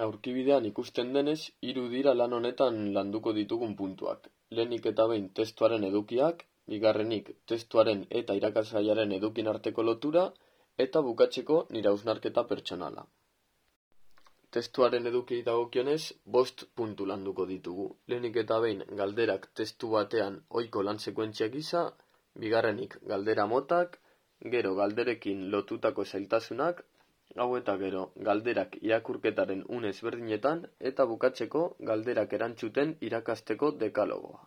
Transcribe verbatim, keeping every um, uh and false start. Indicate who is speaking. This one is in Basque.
Speaker 1: Aurkibidean ikusten denez, hiru dira lan honetan landuko ditugun puntuak. Lehenik eta behin testuaren edukiak, bigarrenik testuaren eta irakaslaiaren edukin arteko lotura, eta bukatzeko nire hausnarketa pertsonala. Testuaren edukiei dagokionez, bost puntu landuko ditugu. Lehenik eta behin galderak testu batean ohiko lan sekuentzia gisa, bigarrenik galdera motak, gero galderekin lotutako zailtasunak, hau eta gero galderak irakurketaren une ezberdinetan eta bukatzeko galderak erantzuten irakasteko dekalogoa.